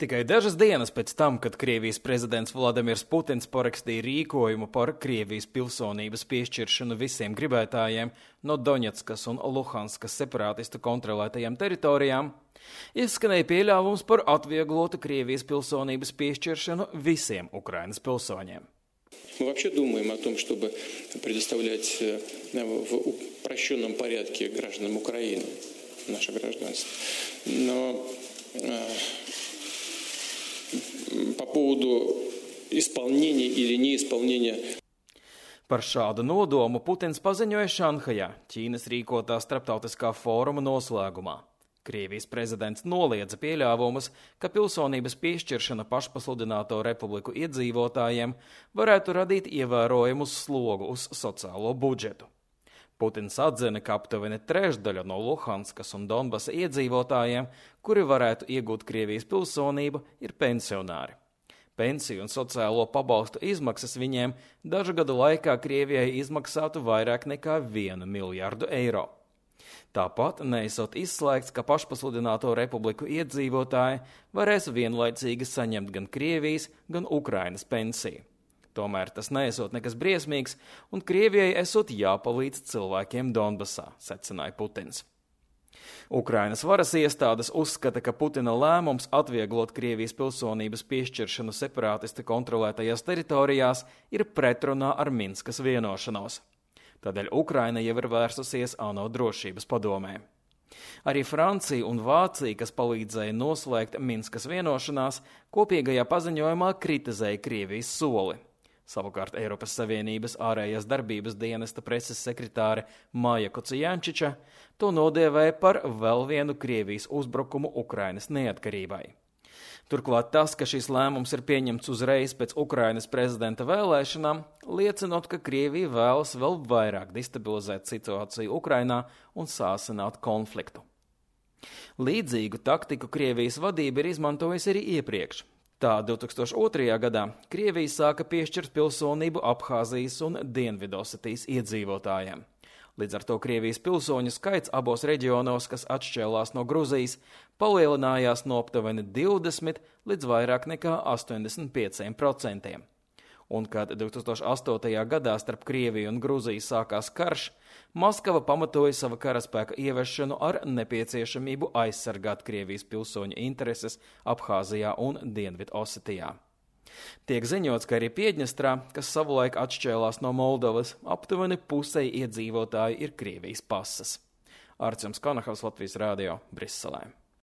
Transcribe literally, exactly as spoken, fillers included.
Tikai dažas dienas pēc tam, kad Krievijas prezidents Vladimirs Putins parakstīja rīkojumu par Krievijas pilsonības piešķiršanu visiem gribētājiem no Doņetskas un Luhanskas separātistu kontrolētajām teritorijām, izskanēja pieļāvums par atvieglotu Krievijas pilsonības piešķiršanu visiem Ukrainas pilsoņiem. Мы вообще думаем о том, чтобы предоставлять в упрощенном порядке гражданам Украины наше гражданство. Но по поводу исполнения или неисполнения. Par šādu nodomu Putins paziņoja Šanhajā, Ķīnas rīkotā starptautiskā fóruma noslēgumā. Krievijas prezidents noliedza pieļāvumus, ka pilsonības piešķiršana pašpasludināto republiku iedzīvotājiem varētu radīt ievērojumu slogu uz sociālo budžetu. Putins atzina, ka aptuveni trešdaļa no Luhanskas un Donbasa iedzīvotājiem, kuri varētu iegūt Krievijas pilsonību, ir pensionāri. Pensiju un sociālo pabalstu izmaksas viņiem dažu gadu laikā Krievijai izmaksātu vairāk nekā vienu miljardu eiro. Tāpat neesot izslēgts, ka pašpasludināto republiku iedzīvotāji varēs vienlaicīgi saņemt gan Krievijas, gan Ukrainas pensiju. Tomēr tas neesot nekas briesmīgs, un Krievijai esot jāpalīdz cilvēkiem Donbasā, secināja Putins. Ukrainas varas iestādes uzskata, ka Putina lēmums atvieglot Krievijas pilsonības piešķiršanu separātisti kontrolētajās teritorijās ir pretrunā ar Minskas vienošanos. Tādēļ Ukraina jau ir vērsusies ANO drošības padomē. Arī Francija un Vācija, kas palīdzēja noslēgt Minskas vienošanās, kopīgajā paziņojumā kritizēja Krievijas soli. Savukārt Eiropas Savienības ārējās darbības dienesta preses sekretāre Maja Kocijančiča to nodēvēja par vēl vienu Krievijas uzbrukumu Ukrainas neatkarībai. Turklāt tas, ka šis lēmums ir pieņemts uzreiz pēc Ukrainas prezidenta vēlēšanām, liecinot, ka Krievija vēlas vēl vairāk destabilizēt situāciju Ukrainā un sāsināt konfliktu. Līdzīgu taktiku Krievijas vadība ir izmantojusi arī iepriekš. Tā divtūkstoš otrajā gadā Krievija sāka piešķirt pilsonību Abhāzijas un Dienvidosetijas iedzīvotājiem. Līdz ar to Krievijas pilsoņu skaits abos reģionos, kas atšķēlās no Gruzijas, palielinājās no aptuveni divdesmit līdz vairāk nekā astoņdesmit pieciem procentiem. Un kad divtūkstoš astotajā gadā starp Krieviju un Gruziju sākās karš, Maskava pamatoja sava karaspēka ieviešanu ar nepieciešamību aizsargāt Krievijas pilsoņu intereses Abhāzijā un Dienvidosetijā. Tiek ziņots, ka arī Piedņestrā, kas savulaik atšķēlās no Moldovas, aptuveni pusei iedzīvotāji ir Krievijas pases. Artjoms Konahavs, Latvijas Rādio, Briselē.